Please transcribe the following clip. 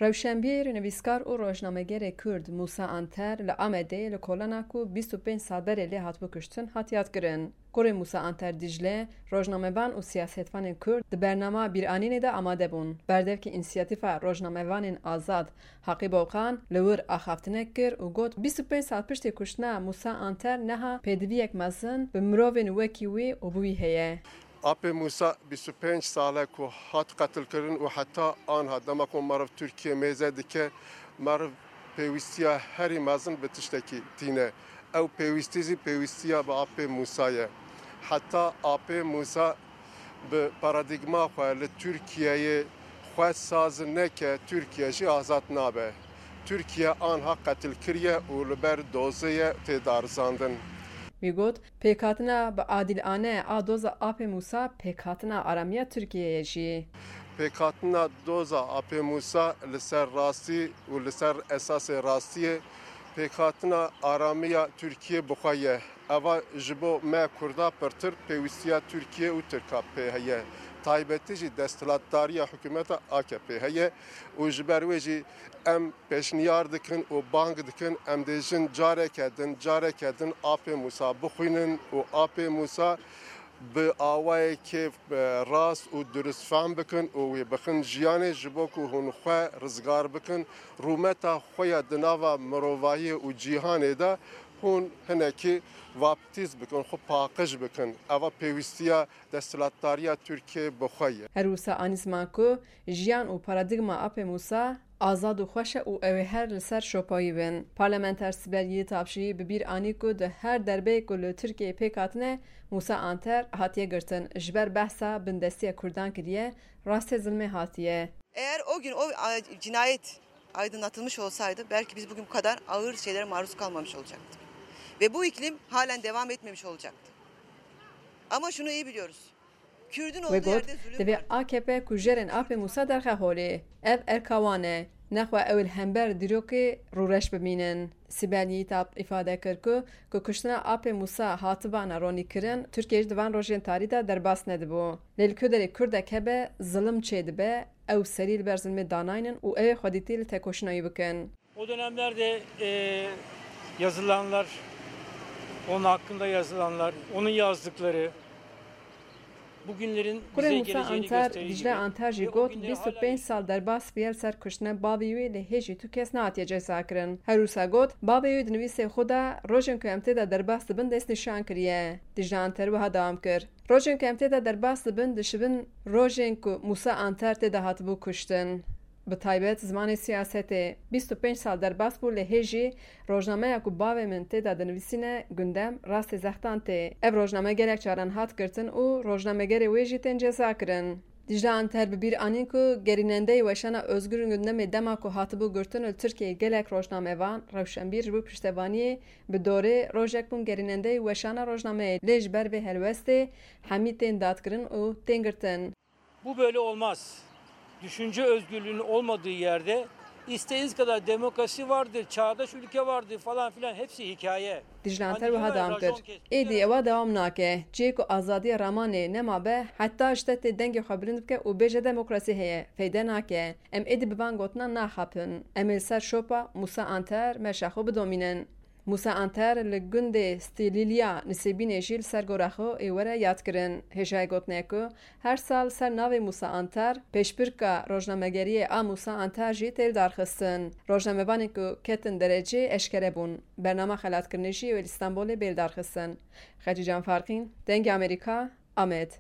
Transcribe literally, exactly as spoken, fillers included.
Rewşenbîr, nivîskar û rojnamegerê Kurd Mûsa Anter li Amedê li kolana ku bîst û pênc sal berê lê hatibû kuştin, hat yadkirin. Kurê Mûsa Anter Dîcle, rojnamevan û siyasetvanên Kurd di bernama bîranînê de amade bûn. Berdevkê Însiyatîfa Rojnamevanên Azad Haqî Boqan li wir axaftinek kir û got, bîst û pênc sal piştî kuştina Mûsa Anter niha pêdiviyek mezin bi mirovên wekî wî û bi wî heye. Apê Mûsa bîst û pênc sal e ku hat qetilkirin û heta anha dema ku meriv Tirkiye mêze dike, meriv pêwîstiya herî mezin bi tiştekî tîne. Ew pêwîstî jî pêwîstiya bi Apê Mûsa ye. Heta Apê Mûsa bi paradîgma xwe li Tirkiyeyê xwe saz neke, Tirkiye jî azad nabe. Tirkiye anha qetil kiriye û li ber dozê ye tê darizandin. Wî got, pêkhatina bi adîlane a doza Apê Mûsa pêkhatina aramiya Tirkiyeyê jî. Pêkhatina doza Apê Mûsa li ser rastî û li ser esasê rastiyê pêkhatina aramiya Tirkiye bi xwe ye. Eva ji bo me Kurda pirtir pêwîstiya Tirkiye û Tirka pê heye. Taybetî jî desthilatdariya hikûmeta A K P heye û ji ber wê jî em pêşniyar dikin û bang dikin, em dê jin careke din, careke din Apê Mûsa bixwînin û Apê Mûsa bi awayekê, e, rast û durist fehm bikin û wê bixin jiyanê, ji bo ku hûn xwe rizgar bikin, rûmeta xwe ya di nava mirovahiyê û cîhanê de hûn hinekî vaptîz bikin, xwe paqij bikin. Eva pêwîstiya desthilatdariya Tirkiyê bi xwe ye. Her wisa anî ziman ku jiyan û paradîgma Apê Mûsa azad û xweş e û ew ê her li ser şopayî bin. Parlamenter Sibel Yiğitap jî bi bîr anî ku di her derbeyê ku li Tirkiyeyê pêk hatine, Mûsa Anter hatiye girtin. Ji ber behsa bindestiya Kurdan kiriye, rastê zilmê hatiye. Eğer o gün o, a, cinayet aydınlatılmış olsaydı belki biz bugün bu kadar ağır şeylere maruz kalmamış olacaktık. Ve bu iklim halen devam etmemiş olacaktı. Ama şunu iyi biliyoruz. Kürdün Wê olduğu got, yerde zulüm divê vardır. A K P kujerên Apê Mûsa derxe holê. Ev erka wan e. Nexwe ew li hember dîrokê rûreş bimînin. Sibel Yiğitap îfade kir ku, ku kuştina Apê Mûsa hatibana ronîkirin, Tirkiye jî di van rojên tarî de derbas nedibû. Lê li ku derê Kurdek hebe, zilim çêdibe, ew serî li ber zilmê danaynin û ew ê xwedîtî li tekoşîna wî bikin. O dönemlerde, e, yazılanlar, onun hakkında yazılanlar, onun yazdıkları, bugünlerin Kurê bize Mûsa geleceğini Anter, gösterdiği Dicle gibi Anter jî ve o got, günleri bîst û pênc hala sal derbas bûye li ser kuştina bavê wî, lê hêjî tu kes nehatiye ceza kirin. Her wisa got, bavê wî di nivîsê xwe de, rojên ku em tê de derbas dibin, destnîşan kiriye. Dicle Anter wiha dewam kir, rojên ku em tê de derbas dibin, dişibin rojên ku Mûsa Anter tê de hatibû kuştin. Bi taybet zimanê siyasetê. Bîst û pênc sal derbas bû, lê hê jî rojnameya ku bavê min tê de dinivîsîne, Gundem, rastê zextan tê. Ev rojname gelek caran hat girtin û rojnamegerê wê jî tên ceza kirin. Dicle Anter bi bîr anîn ku gerînendeyê Weşana Özgür Gundemê dema ku hatibû girtin li Tirkiyeyê gelek rojnamevan, rewşenbîr ji bo piştevaniyê bi dorê rojek bûn gerînendeyê Weşana Rojnameyê, lê ji ber vê helwestê hemî tên dadkirin û tên girtin. Bu böyle olmaz. Düşünce özgürlüğünün olmadığı yerde istediğiniz kadar demokrasi vardır, çağdaş ülke vardır falan filan, hepsi hikaye. Dicle Anter wiha dewam kir, êdî ewa dewam nake. Cihê ku azadiya ramanê nema be, heta ji te tê dengê xwe bilind bike û bêje demokrasî heye, feyde nake. Em êdî bi van gotinan naxapin. Em ê li ser şopa Mûsa Anter meşa xwe bidomînin. Mûsa Anter li gundê Stilîlya Nisêbînê jî li ser gora xwe ê were yadkirin. Hêjayê gotinê ye ku her sal ser navê Mûsa Anter, pêşbirka rojnamegeriyê a Mûsa Anter jî tê lidarxistin. Rojnamevanên ku ketin derecê eşkere bûn. Bernama xelatkirinê jî wê li Stenbolê bê lidarxistin. Xecîcan Farqîn, Dengê Amerîka, Amed.